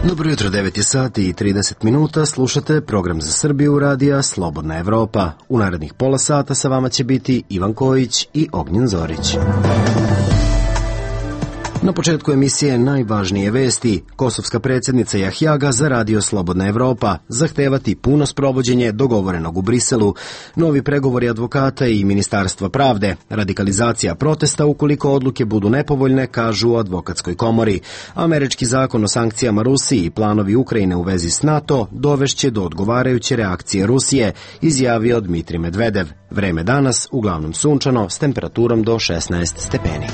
Dobro jutro, 9 sati i 30 minuta, slušate program za Srbiju radija Slobodna Evropa. U narednih pola sata sa vama će biti Ivan Kojić i Ognjen Zorić. Na početku emisije najvažnije vesti. Kosovska predsjednica Jahjaga za radio Slobodna Evropa zahtevati puno sprovođenje dogovorenog u Briselu, novi pregovori advokata i Ministarstva pravde, radikalizacija protesta ukoliko odluke budu nepovoljne, kažu u advokatskoj komori. Američki zakon o sankcijama Rusiji i planovi Ukrajine u vezi s NATO dovešće do odgovarajuće reakcije Rusije, izjavio Dmitrij Medvedev. Vreme danas uglavnom sunčano s temperaturom do 16 stepeni.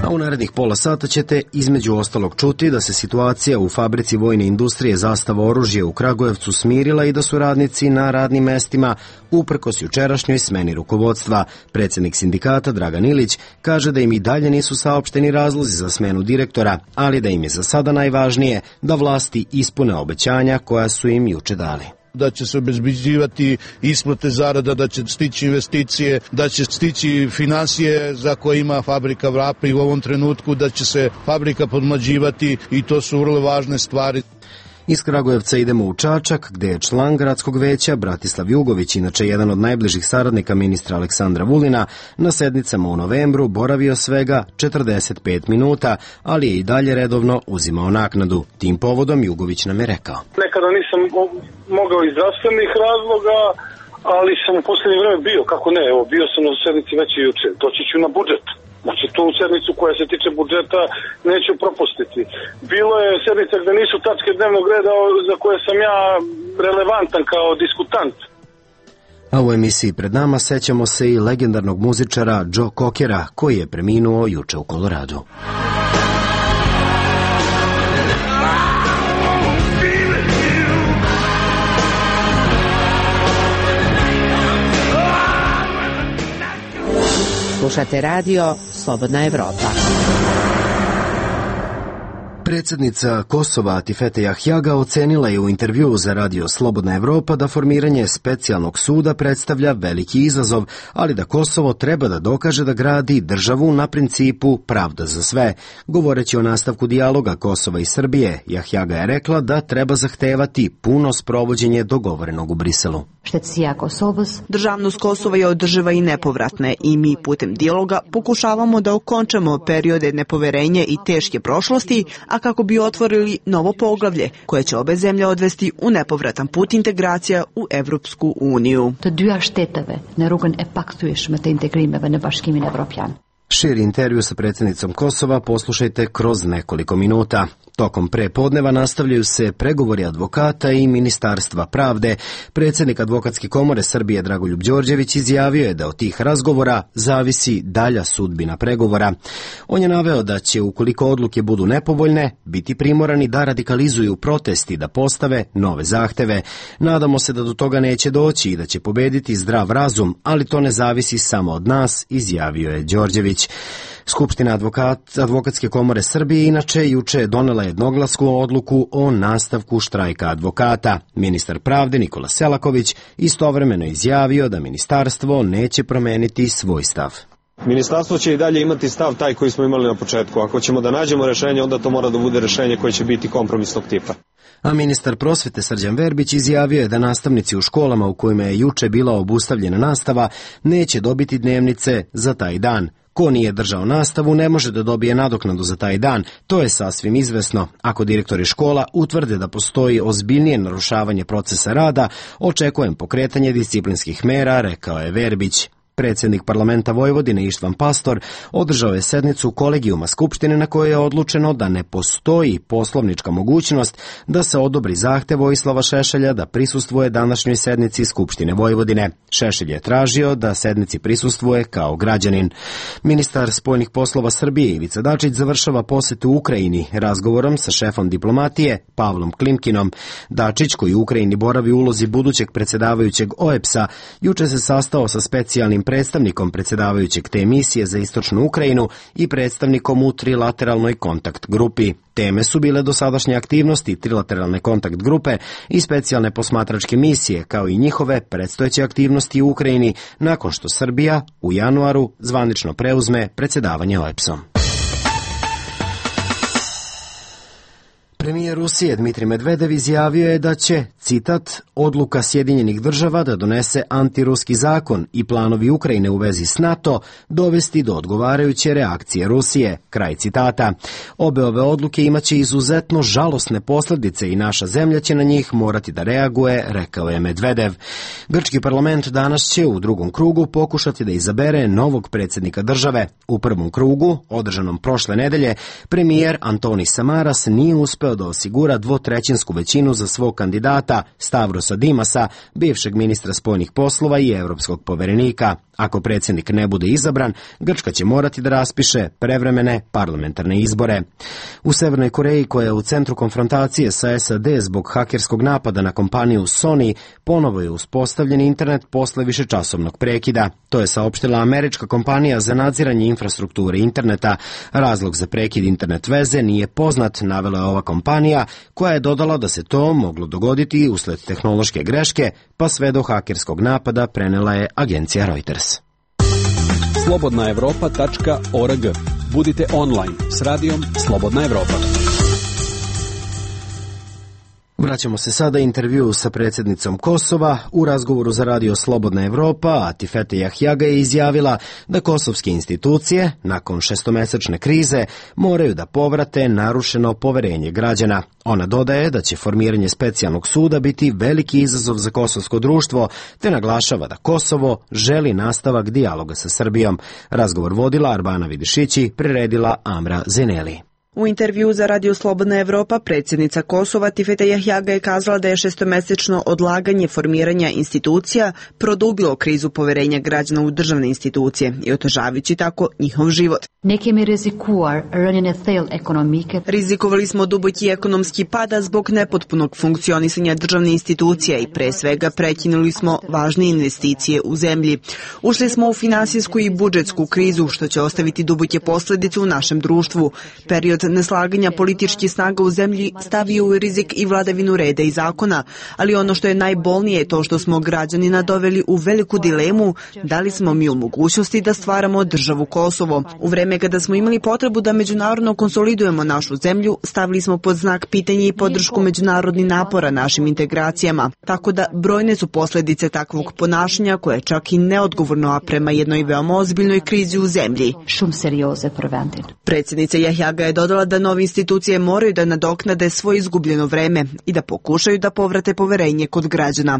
A u narednih pola sata ćete između ostalog čuti da se situacija u fabrici vojne industrije Zastava oružje u Kragujevcu smirila i da su radnici na radnim mestima uprkos jučerašnjoj smeni rukovodstva. Predsjednik sindikata Dragan Ilić kaže da im i dalje nisu saopšteni razlozi za smenu direktora, ali da im je za sada najvažnije da vlasti ispune obećanja koja su im juče dali. Da će se obezbeđivati isplate zarada, da će stići investicije, da će stići finansije za koje ima fabrika Vrapne i u ovom trenutku da će se fabrika podmlađivati i to su vrlo važne stvari. Iz Kragujevca idemo u Čačak, gde je član gradskog veća Bratislav Jugović, inače jedan od najbližih saradnika ministra Aleksandra Vulina, na sednicama u novembru boravio svega 45 minuta, ali je i dalje redovno uzimao naknadu. Tim povodom Jugović nam je rekao. Nekada nisam mogao iz zdravstvenih razloga, ali sam u posljednje vreme bio, kako ne, evo, bio sam na sednici već i juče, doći ću na budžet. Znači, tu sednicu koja se tiče budžeta neću propustiti. Bilo je sednica gde nisu tačke dnevnog reda za koje sam ja relevantan kao diskutant. A u emisiji pred nama sećamo se i legendarnog muzičara Joe Cockera, koji je preminuo juče u Koloradu. Slušate radio Slobodna Evropa. Predsjednica Kosova Atifete Jahjaga ocenila je u intervjuu za radio Slobodna Evropa da formiranje specijalnog suda predstavlja veliki izazov, ali da Kosovo treba da dokaže da gradi državu na principu pravda za sve. Govoreći o nastavku dijaloga Kosova i Srbije, Jahjaga je rekla da treba zahtevati puno sprovođenje dogovorenog u Briselu. Državnost Kosova je održiva i nepovratna i mi putem dijaloga pokušavamo da okončamo periode nepoverenja i teške prošlosti, a kako bi otvorili novo poglavlje koje će obe zemlje odvesti u nepovratan put integracija u Evropsku uniju. Širi intervju sa predsjednicom Kosova poslušajte kroz nekoliko minuta. Tokom prepodneva nastavljaju se pregovori advokata i Ministarstva pravde. Predsjednik Advokatske komore Srbije Dragoljub Đorđević izjavio je da od tih razgovora zavisi dalja sudbina pregovora. On je naveo da će, ukoliko odluke budu nepovoljne, biti primorani da radikalizuju protesti, da postave nove zahteve. Nadamo se da do toga neće doći i da će pobediti zdrav razum, ali to ne zavisi samo od nas, izjavio je Đorđević. Skupština Advokatske komore Srbije inače juče donela jednoglasnu odluku o nastavku štrajka advokata. Ministar pravde Nikola Selaković istovremeno izjavio da ministarstvo neće promeniti svoj stav. Ministarstvo će i dalje imati stav taj koji smo imali na početku. Ako ćemo da nađemo rešenje, onda to mora da bude rešenje koje će biti kompromisnog tipa. A ministar prosvete Srđan Verbić izjavio je da nastavnici u školama u kojima je juče bila obustavljena nastava neće dobiti dnevnice za taj dan. Ko nije držao nastavu ne može da dobije nadoknadu za taj dan, to je sasvim izvesno. Ako direktori škola utvrde da postoji ozbiljnije narušavanje procesa rada, očekujem pokretanje disciplinskih mera, rekao je Verbić. Predsjednik parlamenta Vojvodine Ištvan Pastor održao je sednicu kolegijuma Skupštine na kojoj je odlučeno da ne postoji poslovnička mogućnost da se odobri zahtev Vojislava Šešelja da prisustvuje današnjoj sednici Skupštine Vojvodine. Šešelj je tražio da sednici prisustvuje kao građanin. Ministar spoljnih poslova Srbije Ivica Dačić završava posetu u Ukrajini razgovorom sa šefom diplomatije Pavlom Klimkinom. Dačić, koji u Ukrajini boravi u ulozi budućeg predsjedavajućeg OEBS-a, juče se sastao sa specijalnim predstavnikom predsjedavajućeg te misije za istočnu Ukrajinu i predstavnikom u trilateralnoj kontakt grupi. Teme su bile dosadašnje aktivnosti trilateralne kontakt grupe i specijalne posmatračke misije, kao i njihove predstojeće aktivnosti u Ukrajini nakon što Srbija u januaru zvanično preuzme predsjedavanje OEBS-om. Premijer Rusije Dmitrij Medvedev izjavio je da će, citat, odluka Sjedinjenih država da donese antiruski zakon i planovi Ukrajine u vezi s NATO dovesti do odgovarajuće reakcije Rusije, kraj citata. Obe ove odluke imaće izuzetno žalosne posljedice i naša zemlja će na njih morati da reaguje, rekao je Medvedev. Grčki parlament danas će u drugom krugu pokušati da izabere novog predsjednika države. U prvom krugu, održanom prošle nedelje, premijer Antonis Samaras nije uspeo da osigura dvotrećinsku većinu za svog kandidata Stavrosa Dimasa, bivšeg ministra spoljnih poslova i evropskog poverenika. Ako predsjednik ne bude izabran, Grčka će morati da raspiše prevremene parlamentarne izbore. U Severnoj Koreji, koja je u centru konfrontacije sa SAD zbog hakerskog napada na kompaniju Sony, ponovo je uspostavljen internet posle višečasovnog prekida. To je saopštila američka kompanija za nadziranje infrastrukture interneta. Razlog za prekid internet veze nije poznat, navela je ova kompanija, koja je dodala da se to moglo dogoditi usled tehnološke greške, pa sve do hakerskog napada, prenela je agencija Reuters. slobodnaevropa.org. Budite online s radijom Slobodna Evropa. Vraćamo se sada intervju sa predsjednicom Kosova. U razgovoru za radio Slobodna Evropa, Atifete Jahjaga je izjavila da kosovske institucije, nakon šestomesečne krize, moraju da povrate narušeno poverenje građana. Ona dodaje da će formiranje specijalnog suda biti veliki izazov za kosovsko društvo, te naglašava da Kosovo želi nastavak dijaloga sa Srbijom. Razgovor vodila Arbana Vidišići, priredila Amra Zeneli. U intervju za Radio Slobodna Evropa predsjednica Kosova Atifete Jahjaga je kazala da je šestomesečno odlaganje formiranja institucija produbilo krizu poverenja građana u državne institucije i otežavajući tako njihov život. Rizikovali smo duboki ekonomski pada zbog nepotpunog funkcionisanja državne institucije i pre svega prekinuli smo važne investicije u zemlji. Ušli smo u finansijsku i budžetsku krizu što će ostaviti duboke posljedice u našem društvu. Period neslaganja političkih snaga u zemlji stavio u rizik i vladavinu reda i zakona, ali ono što je najbolnije je to što smo građanina doveli u veliku dilemu da li smo mi u mogućnosti da stvaramo državu Kosovo. U vreme kada smo imali potrebu da međunarodno konsolidujemo našu zemlju, stavili smo pod znak pitanja i podršku međunarodnih napora našim integracijama. Tako da brojne su posljedice takvog ponašanja koje je čak i neodgovorno, a prema jednoj veoma ozbiljnoj krizi u zemlji. Predsjednica Jahjaga je dodala da nove institucije moraju da nadoknade svoje izgubljeno vreme i da pokušaju da povrate poverenje kod građana.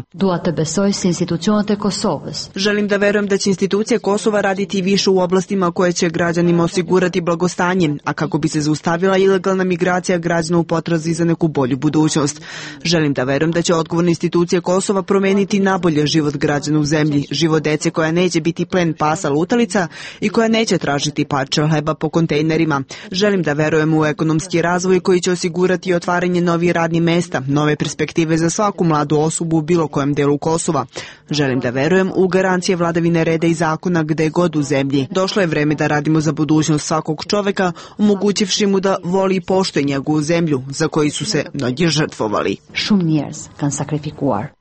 Želim da verujem da će institucije Kosova raditi više u oblastima koje će građanima osigurati blagostanje, a kako bi se zaustavila ilegalna migracija građana u potrazi za neku bolju budućnost. Želim da verujem da će odgovorne institucije Kosova promeniti nabolje život građana u zemlji, život dece koja neće biti plen pasa lutalica i koja neće tražiti parče hleba po kontejnerima. Želim da verujem u ekonomski razvoj koji će osigurati otvaranje novih radnih mesta, nove perspektive za svaku mladu osobu u bilo kojem delu Kosova. Želim da verujem u garancije vladavine reda i zakona gde god u zemlji. Došlo je vreme da radimo za budućnost svakog čoveka, omogućivši mu da voli i poštuje njegovu zemlju, za koju su se mnogi žrtvovali.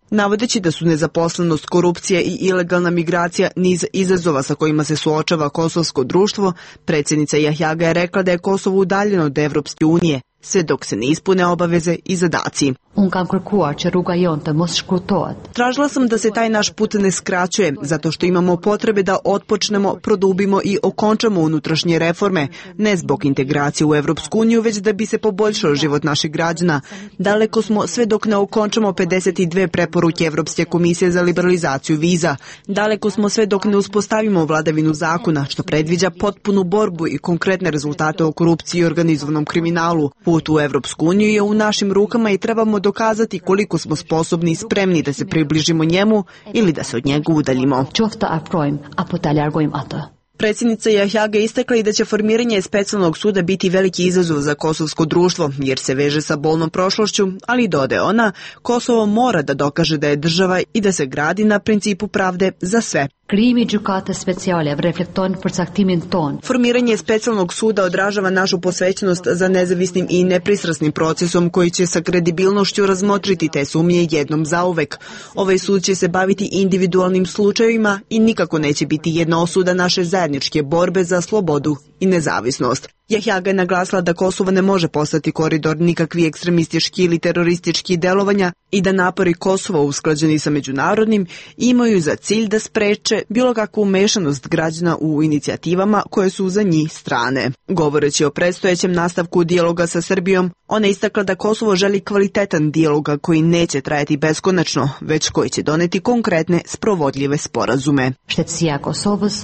Navodeći da su nezaposlenost, korupcija i ilegalna migracija niz izazova sa kojima se suočava kosovsko društvo, predsjednica Jahjaga je rekla da je Kosovo udaljeno od Evropske unije, sve dok se ne ispune obaveze i zadaci. Tražila sam da se taj naš put ne skraćuje, zato što imamo potrebe da otpočnemo, produbimo i okončamo unutrašnje reforme, ne zbog integracije u Evropsku uniju, već da bi se poboljšao život naših građana. Daleko smo sve dok ne okončamo 52 preporuke Evropske komisije za liberalizaciju viza. Daleko smo sve dok ne uspostavimo vladavinu zakona, što predviđa potpunu borbu i konkretne rezultate o korupciji i organizovanom kriminalu. Put u Evropsku uniju je u našim rukama i trebamo dokazati koliko smo sposobni i spremni da se približimo njemu ili da se od njega udaljimo. Predsjednica Jahjaga je istakla i da će formiranje specijalnog suda biti veliki izazov za kosovsko društvo, jer se veže sa bolnom prošlošću, ali dodaje ona, Kosovo mora da dokaže da je država i da se gradi na principu pravde za sve. Formiranje specijalnog suda odražava našu posvećenost za nezavisnim i nepristrasnim procesom koji će sa kredibilnošću razmotriti te sumnje jednom zauvek. Ovaj sud će se baviti individualnim slučajevima i nikako neće biti jedna osuda naše zajedničke borbe za slobodu i nezavisnost. Jahjaga je naglasila da Kosovo ne može postati koridor nikakvi ekstremistički ili teroristički delovanja i da napori Kosova usklađeni sa međunarodnim imaju za cilj da spreče bilo kakvu umešanost građana u inicijativama koje su za njih strane. Govoreći o predstojećem nastavku dijaloga sa Srbijom, ona je istakla da Kosovo želi kvalitetan dijaloga koji neće trajati beskonačno, već koji će doneti konkretne sprovodljive sporazume.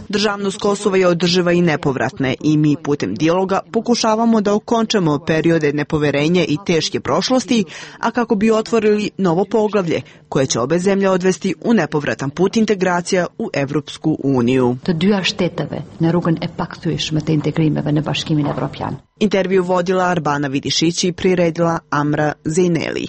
Državnost Kosova je održiva i nepovratna i mi putem dijaloga pokušavamo da okončamo periode nepoverenja i teške prošlosti, a kako bi otvorili novo poglavlje koje će obe zemlje odvesti u nepovratan put integracija u Evropsku uniju. Intervju vodila Arbana Vidišić i priredila Amra Zejneli.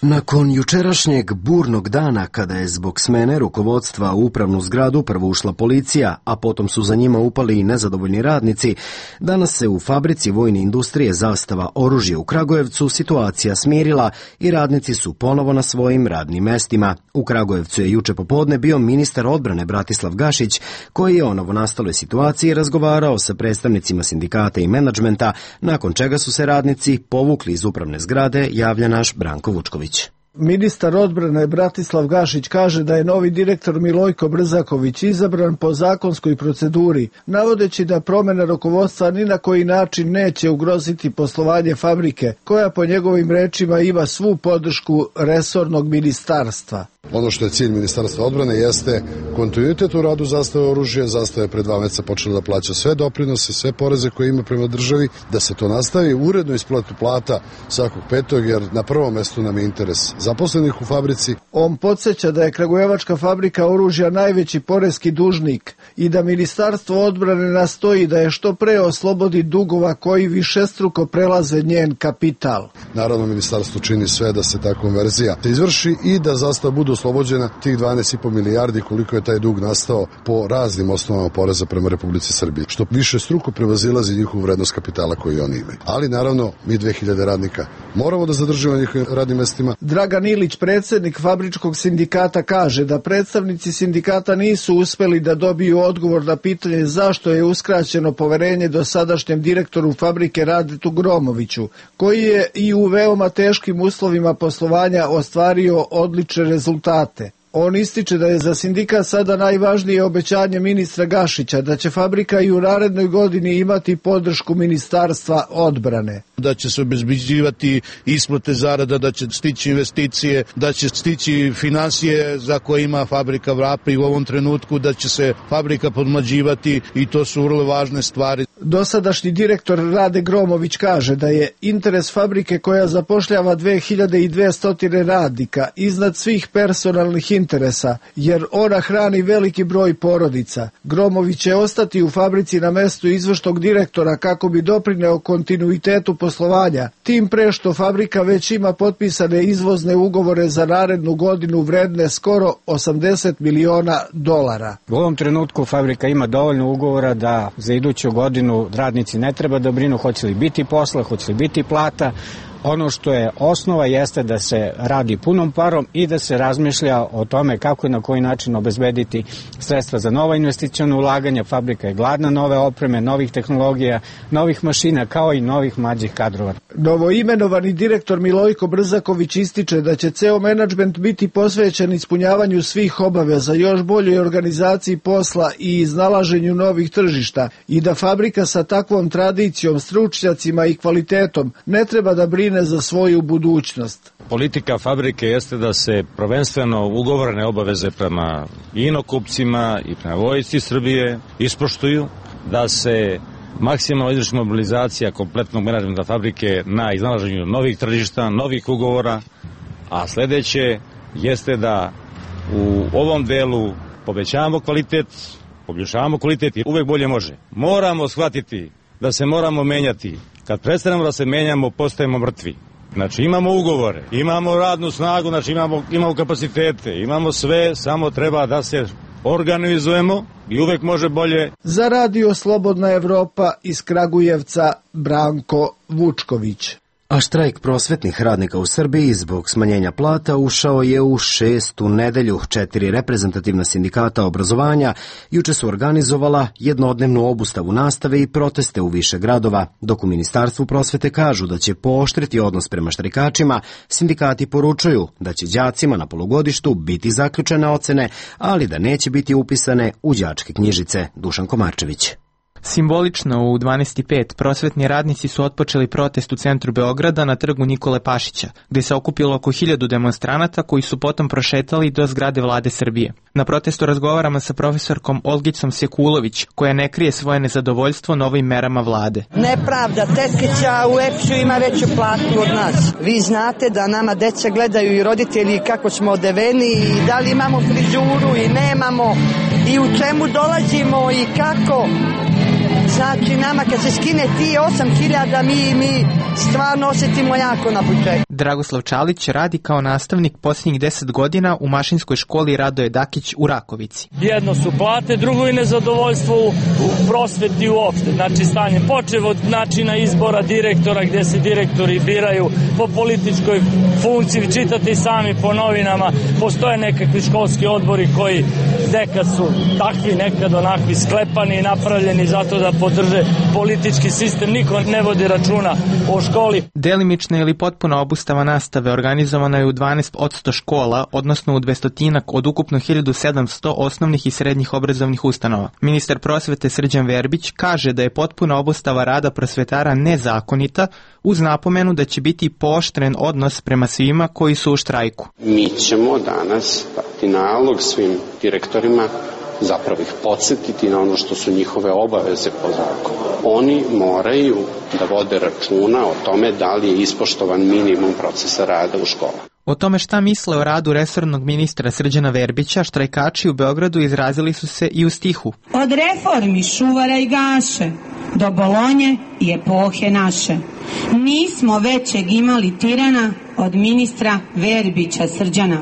Nakon jučerašnjeg burnog dana, kada je zbog smene rukovodstva u upravnu zgradu prvo ušla policija, a potom su za njima upali i nezadovoljni radnici, danas se u fabrici vojne industrije Zastava oružje u Kragujevcu situacija smirila i radnici su ponovo na svojim radnim mestima. U Kragujevcu je juče popodne bio ministar odbrane Bratislav Gašić, koji je o novonastaloj situaciji razgovarao sa predstavnicima sindikata i menadžmenta, nakon čega su se radnici povukli iz upravne zgrade, javlja naš Branko Vučković. Ministar odbrane Bratislav Gašić kaže da je novi direktor Milojko Brzaković izabran po zakonskoj proceduri, navodeći da promjena rukovodstva ni na koji način neće ugroziti poslovanje fabrike, koja po njegovim rečima ima svu podršku resornog ministarstva. Ono što je cilj Ministarstva odbrane jeste kontinuitet u radu Zastave oružja. Zastava je pred 2 meseca počela da plaća sve doprinose, sve poreze koje ima prema državi, da se to nastavi, uredno isplatu plata svakog 5. jer na prvom mestu nam je interes zaposlenih u fabrici. On podsjeća da je Kragujevačka fabrika oružja najveći poreski dužnik i da Ministarstvo odbrane nastoji da je što pre oslobodi dugova koji višestruko prelaze njen kapital. Naravno, Ministarstvo čini sve da se ta konverzija izvrši i da Zastava bude oslobođena tih 12,5 milijardi koliko je taj dug nastao po raznim osnovama poreza prema Republici Srbiji, što više struko prevazilazi njihovu vrednost kapitala koju oni imaju. Ali naravno, mi 2000 radnika moramo da zadržimo na njihovim radnim mestima. Dragan Ilić, predsjednik fabričkog sindikata, kaže da predstavnici sindikata nisu uspeli da dobiju odgovor na pitanje zašto je uskraćeno poverenje dosadašnjem direktoru fabrike Radetu Gromoviću, koji je i u veoma teškim uslovima poslovanja ostvario odlične rezultate. On ističe da je za sindikat sada najvažnije obećanje ministra Gašića da će fabrika i u narednoj godini imati podršku Ministarstva odbrane. Da će se obezbeđivati isplate zarada, da će stići investicije, da će stići finansije za koje ima fabrika Vrapri u ovom trenutku, da će se fabrika podmlađivati i to su vrlo važne stvari. Dosadašnji direktor Rade Gromović kaže da je interes fabrike koja zapošljava 2200 radnika iznad svih personalnih interesa, jer ona hrani veliki broj porodica. Gromović će ostati u fabrici na mestu izvršnog direktora kako bi doprineo kontinuitetu poslovanja, tim pre što fabrika već ima potpisane izvozne ugovore za narednu godinu vredne skoro $80 miliona. U ovom trenutku fabrika ima dovoljno ugovora da za iduću godinu radnici ne treba da brinu hoće li biti posla, hoće li biti plata. Ono što je osnova jeste da se radi punom parom i da se razmišlja o tome kako i na koji način obezbediti sredstva za nova investiciona ulaganja. Fabrika je gladna nove opreme, novih tehnologija, novih mašina kao i novih mlađih kadrova. Novoimenovani direktor Milojko Brzaković ističe da će ceo menadžment biti posvećen ispunjavanju svih obaveza, još boljoj organizaciji posla i iznalaženju novih tržišta i da fabrika sa takvom tradicijom, stručnjacima i kvalitetom ne treba da brine za svoju budućnost. Politika fabrike jeste da se prvenstveno ugovorene obaveze prema inokupcima i prema vojsci Srbije ispoštuju, da se maksimalno izvrši mobilizacija kompletnog menadžmenta fabrike na iznalaženju novih tržišta, novih ugovora, a sledeće jeste da u ovom delu povećavamo kvalitet, poboljšavamo kvalitet i uvek bolje može. Moramo shvatiti da se moramo menjati. Kad prestanemo da se menjamo, postajemo mrtvi. Znači imamo ugovore, imamo radnu snagu, znači imamo kapacitete, imamo sve, samo treba da se organizujemo i uvek može bolje. Za Radio Slobodna Evropa iz Kragujevca, Branko Vučković. A štrajk prosvetnih radnika u Srbiji zbog smanjenja plata ušao je u 6. nedelju. 4 reprezentativna sindikata obrazovanja juče su organizovala jednodnevnu obustavu nastave i proteste u više gradova. Dok u Ministarstvu prosvete kažu da će pooštriti odnos prema štrajkačima, sindikati poručuju da će đacima na polugodištu biti zaključene ocene, ali da neće biti upisane u đačke knjižice. Dušan Komarčević. Simbolično u 12:05 prosvetni radnici su otpočeli protest u centru Beograda na trgu Nikole Pašića, gde se okupilo oko 1000 demonstranata koji su potom prošetali do zgrade Vlade Srbije. Na protestu razgovaramo sa profesorkom Olgicom Sekulović, koja ne krije svoje nezadovoljstvo novim merama vlade. Nepravda, tetkića u EPS-u ima veću platu od nas. Vi znate da nama deca gledaju i roditelji kako smo odeveni i da li imamo frizuru i nemamo i u čemu dolazimo i kako. Znači, nama kad se skine ti 8.000, mi stvarno osjetimo jako na početku. Dragoslav Čalić radi kao nastavnik posljednjih 10 godina u mašinskoj školi Radoje Dakić u Rakovici. Jedno su plate, drugo i nezadovoljstvo u prosveti uopšte. Znači, stanje počev od načina izbora direktora, gde se direktori biraju po političkoj funkciji. Čitate i sami po novinama, postoje nekakvi školski odbori koji nekad su takvi, nekad onakvi sklepani i napravljeni zato da podrže politički sistem. Niko ne vodi računa o školi. Delimična ili potpuna obustava nastave organizovana je u 12% škola, odnosno u 200 od ukupno 1700 osnovnih i srednjih obrazovnih ustanova. Ministar prosvete Srđan Verbić kaže da je potpuna obustava rada prosvetara nezakonita, uz napomenu da će biti pooštren odnos prema svima koji su u štrajku. Mi ćemo danas dati nalog svim direktorima, zapravo ih podsjetiti na ono što su njihove obaveze po zakonu. Oni moraju da vode računa o tome da li je ispoštovan minimum procesa rada u školama. O tome šta misle o radu resornog ministra Srđana Verbića, štrajkači u Beogradu izrazili su se i u stihu. Od reformi Šuvara i Gaše do Bolonje i epohe naše. Nismo većeg imali tirana od ministra Verbića Srđana.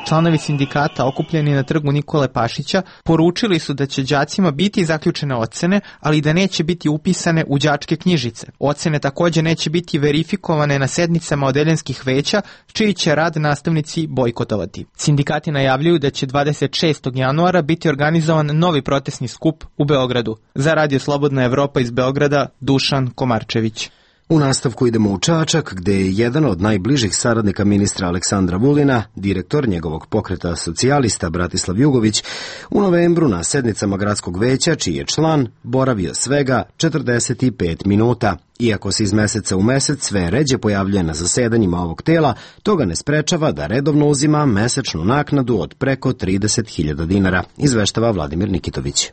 Članovi sindikata okupljeni na trgu Nikole Pašića poručili su da će đacima biti zaključene ocene, ali da neće biti upisane u đačke knjižice. Ocene također neće biti verifikovane na sednicama odeljenskih veća, čiji će rad nastavnici bojkotovati. Sindikati najavljuju da će 26. januara biti organizovan novi protestni skup u Beogradu. Za Radio Slobodna Evropa iz Beograda, Dušan Komarčević. U nastavku idemo u Čačak, gde je jedan od najbližih saradnika ministra Aleksandra Vulina, direktor njegovog pokreta socijalista Bratislav Jugović, u novembru na sednicama gradskog veća, čiji je član, boravio svega 45 minuta. Iako se iz meseca u mesec sve ređe pojavljuje na zasedanjima ovog tela, to ga ne sprečava da redovno uzima mesečnu naknadu od preko 30.000 dinara, izveštava Vladimir Nikitović.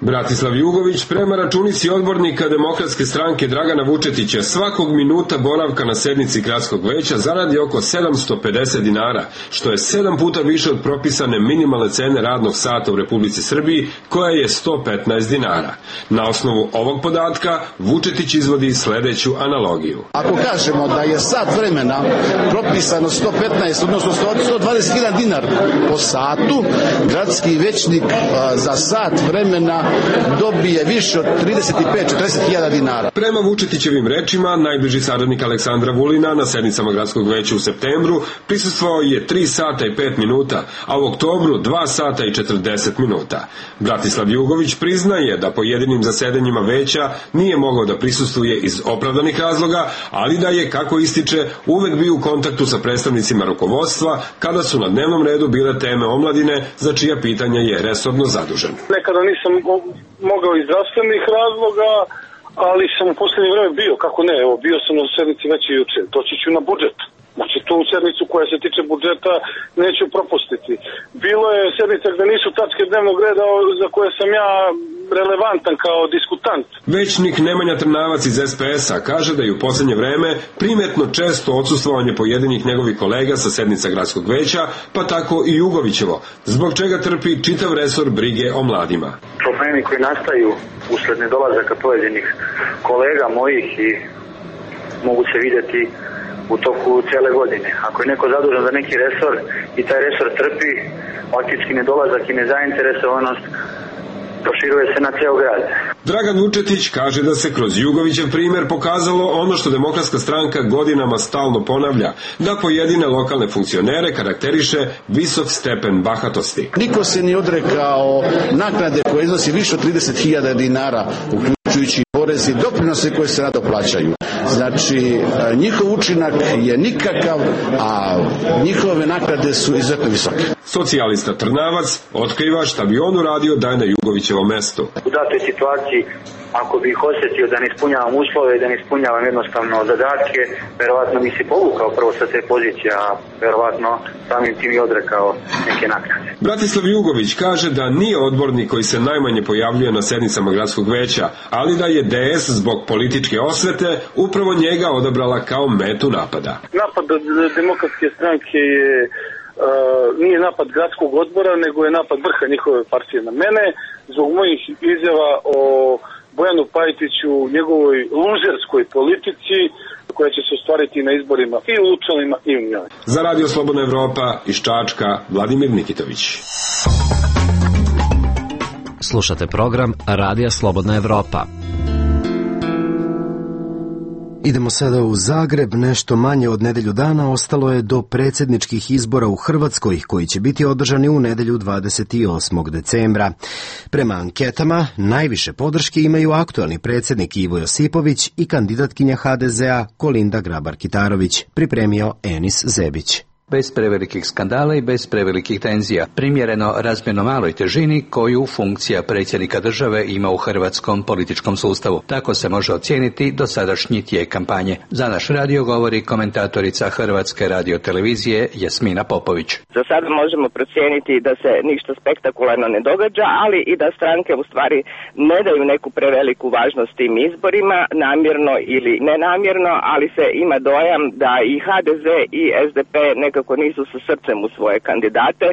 Bratislav Jugović prema računici odbornika Demokratske stranke Dragana Vučetića svakog minuta boravka na sednici gradskog veća zaradi oko 750 dinara, što je 7 puta više od propisane minimalne cene radnog sata u Republici Srbiji, koja je 115 dinara. Na osnovu ovog podatka Vučetić izvodi sledeću analogiju. Ako kažemo da je sat vremena propisano 115, odnosno 121 dinar po satu, gradski većnik za sat vremena dobije više od 35-40.000 dinara. Prema Vučetićevim rečima, najbliži saradnik Aleksandra Vulina na sednicama gradskog veća u septembru prisustvovao je 3 sata i 5 minuta, a u oktobru 2 sata i 40 minuta. Bratislav Jugović priznaje da po jedinim zasedanjima veća nije mogao da prisustvuje iz opravdanih razloga, ali da je, kako ističe, uvek bio u kontaktu sa predstavnicima rukovodstva kada su na dnevnom redu bile teme omladine, za čija pitanja je resorno zadužen. Nekada nisam mogao iz zdravstvenih razloga, ali sam u poslednje vreme bio, kako ne, evo, bio sam na sednici već i juče, doći ću na budžet. Znači, tu sednicu koja se tiče budžeta neću propustiti. Bilo je sednica gde nisu tačke dnevnog reda za koje sam ja relevantan kao diskutant. Većnik Nemanja Trnavac iz SPS-a kaže da je u poslednje vreme primetno često odsustvovanje pojedinih njegovih kolega sa sednica gradskog veća, pa tako i Jugovićevo, zbog čega trpi čitav resor brige o mladima. Problemi koji nastaju usled nedolazaka pojedinih kolega mojih i mogu se vidjeti u toku cele godine. Ako je neko zadužen za neki resor i taj resor trpi, faktički nedolazak i nezainteresovanost, proširuje se na ceo grad. Dragan Vučetić kaže da se kroz Jugovićev primer pokazalo ono što Demokratska stranka godinama stalno ponavlja, da pojedine lokalne funkcionere karakteriše visok stepen bahatosti. Niko se nije odrekao naknade koje iznosi više od 30.000 dinara, uključujući porez i doprinose koje se nadoplaćaju. Znači, njihov učinak je nikakav, a njihove naknade su izuzetno visoke. Socijalista Trnavac otkriva šta bi on uradio da je na Jugovićevom mestu. U datoj situaciji, ako bih osjetio da ne ispunjavam uslove i da ne ispunjavam jednostavno zadatke, verovatno mi se povukao prvo sa te pozicije, a verovatno samim tim i odrekao neke naknade. Bratislav Jugović kaže da nije odbornik koji se najmanje pojavljuje na sednicama gradskog veća, ali da je DS zbog političke osvete upravo njega odabrala kao metu napada. Napad Demokratske stranke nije napad gradskog odbora, nego je napad vrha njihove partije na mene, zbog mojih izjava o Bojanu Pajtiću, njegovoj luzerskoj politici koja će se ostvariti na izborima i u Lučanima i u njoj. Za Radio Slobodna Evropa iz Čačka, Vladimir Nikitović. Slušate program Radija Slobodna Evropa. Idemo sada u Zagreb. Nešto manje od nedelju dana ostalo je do predsjedničkih izbora u Hrvatskoj, koji će biti održani u nedelju 28. decembra. Prema anketama, najviše podrške imaju aktualni predsjednik Ivo Josipović i kandidatkinja HDZ-a Kolinda Grabar-Kitarović, pripremio Enis Zebić. Bez prevelikih skandala i bez prevelikih tenzija, primjereno razmjerno maloj težini koju funkcija predsjednika države ima u hrvatskom političkom sustavu. Tako se može ocijeniti dosadašnji tijek kampanje. Za naš radio govori komentatorica Hrvatske radiotelevizije Jasmina Popović. Za sada možemo procijeniti da se ništa spektakularno ne događa, ali i da stranke u stvari ne daju neku preveliku važnost tim izborima, namjerno ili nenamjerno, ali se ima dojam da i HDZ i SDP nekako nisu sa srcem u svoje kandidate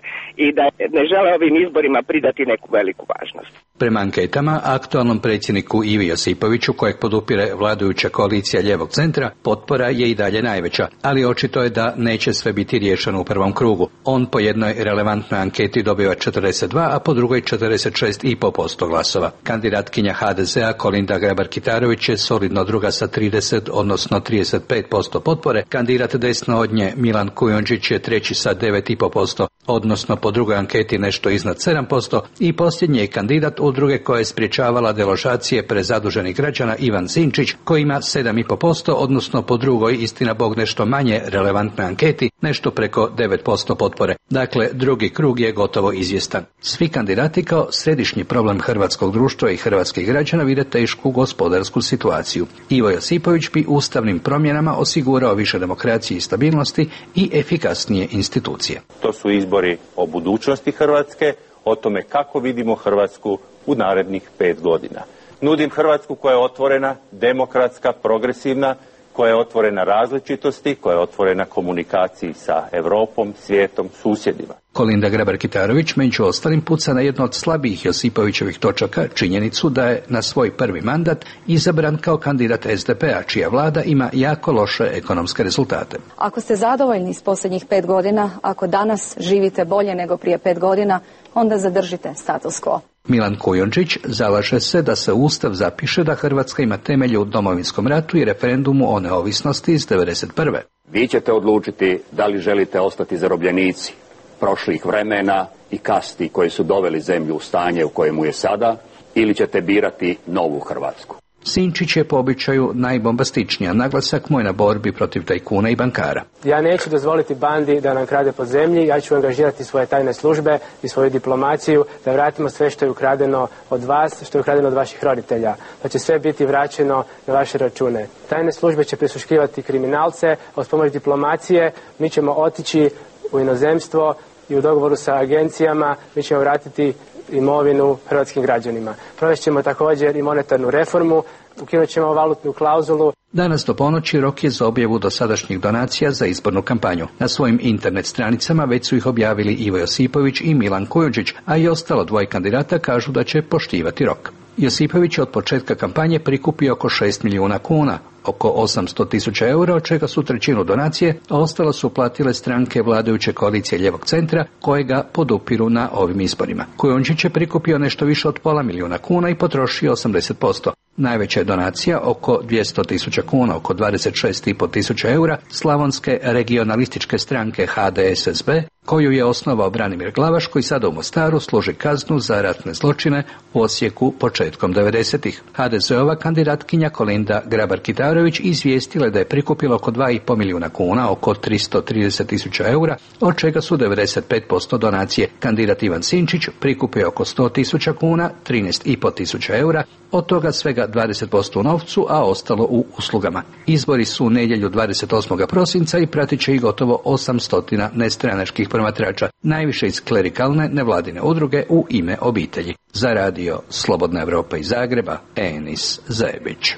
i da ne žele ovim izborima pridati neku veliku važnost. Prema anketama, aktualnom predsjedniku Ivi Josipoviću, kojeg podupire vladajuća koalicija ljevog centra, potpora je i dalje najveća, ali očito je da neće sve biti riješeno u prvom krugu. On po jednoj relevantnoj anketi dobiva 42, a po drugoj 46,5% glasova. Kandidatkinja HDZ-a Kolinda Grabar-Kitarović je solidno druga sa 30, odnosno 35% potpore. Kandidat desno od nje Milan Kujundžić je treći sa 9,5%, odnosno po drugoj anketi nešto iznad 7%, i posljednji je kandidat udruge koja je sprječavala deložacije prezaduženih građana Ivan Sinčić, koji ima 7,5%, odnosno po drugoj, istina bog nešto manje relevantnoj anketi, nešto preko 9% potpore. Dakle, drugi krug je gotovo izvjestan. Svi kandidati kao središnji problem hrvatskog društva i hrvatskih građana vide tešku gospodarsku situaciju. Ivo Josipović bi ustavnim promjenama osigurao više demokracije i stabilnosti i efikasnije institucije. To su izbori o budućnosti Hrvatske, o tome kako vidimo Hrvatsku u narednih 5 godina. Nudim Hrvatsku koja je otvorena, demokratska, progresivna, koja je otvorena različitosti, koja je otvorena komunikaciji sa Europom, svijetom, susjedima. Kolinda Grabar-Kitarović među ostalim puca na jedno od slabijih Josipovićevih točaka, činjenicu da je na svoj prvi mandat izabran kao kandidat SDP-a, čija vlada ima jako loše ekonomske rezultate. Ako ste zadovoljni s posljednjih 5 godina, ako danas živite bolje nego prije 5 godina, onda zadržite status quo. Milan Kujundžić zalaže se da se Ustav zapiše da Hrvatska ima temelje u Domovinskom ratu i referendumu o neovisnosti iz 1991. Vi ćete odlučiti da li želite ostati zarobljenici prošlih vremena i kasti koji su doveli zemlju u stanje u kojemu je sada, ili ćete birati novu Hrvatsku. Sinčić je po običaju najbombastičnija, naglasak mu je na borbi protiv tajkuna i bankara. Ja neću dozvoliti bandi da nam krade po zemlji, ja ću angažirati svoje tajne službe i svoju diplomaciju da vratimo sve što je ukradeno od vas, što je ukradeno od vaših roditelja. Da će sve biti vraćeno na vaše račune. Tajne službe će prisluškivati kriminalce, a uz pomoć diplomacije mi ćemo otići u inozemstvo i u dogovoru sa agencijama mi ćemo vratiti imovinu hrvatskim građanima. Provest ćemo također i monetarnu reformu, ukinut ćemo valutnu klauzulu. Danas do ponoći rok je za objavu dosadašnjih donacija za izbornu kampanju. Na svojim internet stranicama već su ih objavili Ivo Josipović i Milan Kujundžić, a i ostalo dvoje kandidata kažu da će poštivati rok. Josipović je od početka kampanje prikupio oko 6 milijuna kuna. oko 800.000 eura, od čega su trećinu donacije, a ostalo su platile stranke vladajuće koalicije Ljevog centra, koje ga podupiru na ovim izborima. Kujundžić je prikupio nešto više od $500.000 kuna i potrošio 80%. Najveća je donacija, oko 200.000 kuna, oko 26.500 eura, slavonske regionalističke stranke HDSSB, koju je osnovao Branimir Glavaš, koji sada u Mostaru služi kaznu za ratne zločine u Osijeku početkom 90-ih. HDZ-ova kandidatkinja Kolinda Grabar-Kitarović izvijestila je da je prikupila oko 2,5 milijuna kuna, oko 330.000 eura, od čega su 95% donacije. Kandidat Ivan Sinčić prikupio oko 100.000 kuna, 13.500 eura, od toga svega 20% u novcu, a ostalo u uslugama. Izbori su u nedjelju 28. prosinca i pratit će ih gotovo 800 nestranačkih promatrača, najviše iz klerikalne nevladine udruge U ime obitelji. Za radio Slobodna Evropa iz Zagreba, Enis Zajebić.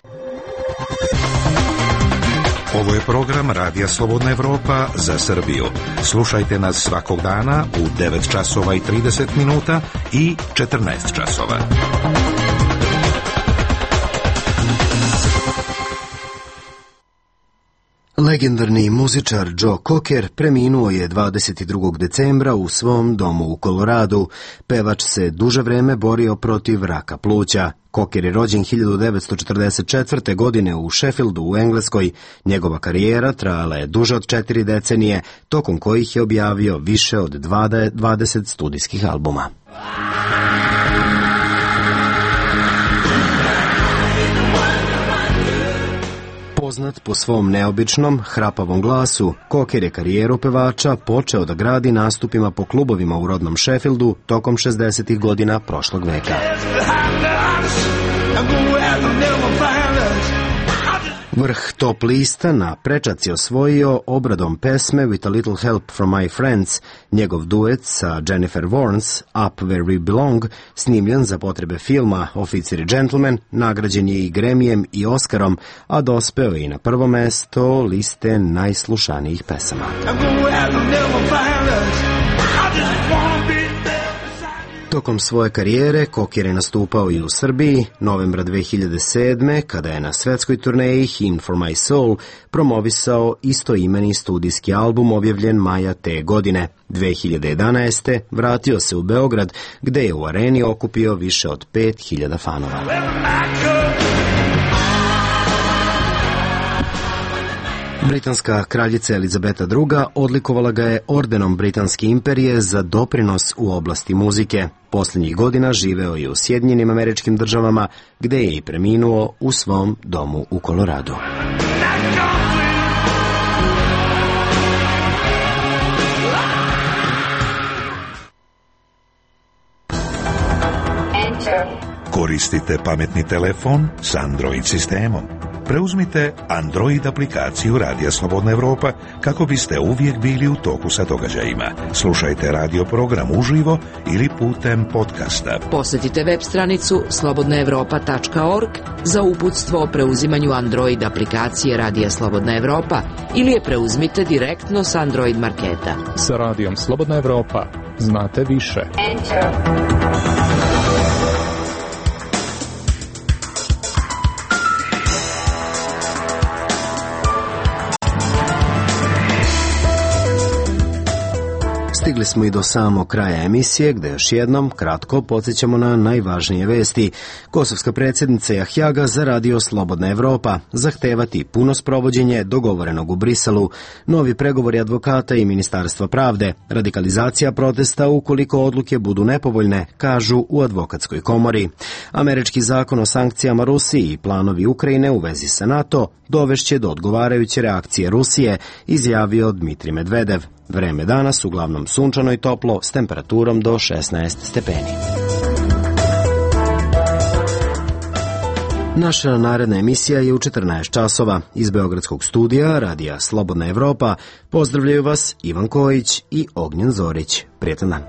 Ovo je program Radija Slobodna Evropa za Srbiju. Slušajte nas svakog dana u 9 časova i 30 minuta i 14 časova. Legendarni muzičar Joe Cocker preminuo je 22. decembra u svom domu u Koloradu. Pevač se duže vreme borio protiv raka pluća. Cocker je rođen 1944. godine u Sheffieldu u Engleskoj. Njegova karijera trajala je duže od 4 decenije, tokom kojih je objavio više od 20 studijskih albuma. Poznat po svom neobičnom, hrapavom glasu, Cocker je karijeru pevača počeo da gradi nastupima po klubovima u rodnom Sheffieldu tokom 60. godina prošlog veka. Vrh top lista na prečac je osvojio obradom pesme With a Little Help from My Friends. Njegov duet sa Jennifer Warnes, Up Where We Belong, snimljen za potrebe filma Oficir i džentlmen, nagrađen je i Gremijem i Oskarom, a dospeo je i na prvo mesto liste najslušanijih pesama. Tokom svoje karijere Cocker je nastupao i u Srbiji. Novembra 2007. kada je na svetskoj turneji Hymn for My Soul promovisao istoimeni studijski album objavljen maja te godine. 2011. vratio se u Beograd, gde je u areni okupio više od 5.000 fanova. Britanska kraljica Elizabeta II. Odlikovala ga je ordenom Britanske imperije za doprinos u oblasti muzike. Posljednjih godina živeo je u Sjedinjenim Američkim Državama, gde je i preminuo u svom domu u Koloradu. Koristite pametni telefon s Android sistemom. Preuzmite Android aplikaciju Radija Slobodna Evropa kako biste uvijek bili u toku sa događajima. Slušajte radio program uživo ili putem podcasta. Posjetite web stranicu slobodnaevropa.org za uputstvo o preuzimanju Android aplikacije Radija Slobodna Evropa ili je preuzmite direktno s Android marketa. Sa Radijom Slobodna Evropa znate više. Stigli smo i do samog kraja emisije, gde još jednom kratko podsjećamo na najvažnije vesti. Kosovska predsjednica Jahjaga za Radio Slobodna Evropa zahtevati puno sprovođenje dogovorenog u Briselu, novi pregovori advokata i Ministarstva pravde, radikalizacija protesta ukoliko odluke budu nepovoljne, kažu u advokatskoj komori. Američki zakon o sankcijama Rusiji i planovi Ukrajine u vezi sa NATO dovešće do odgovarajuće reakcije Rusije, izjavio Dmitrij Medvedev. Vreme danas uglavnom sunčano i toplo s temperaturom do 16 stepeni. Naša naredna emisija je u 14 časova. Iz Beogradskog studija Radija Slobodna Evropa pozdravljaju vas Ivan Kojić i Ognjen Zorić. Prijetan dan.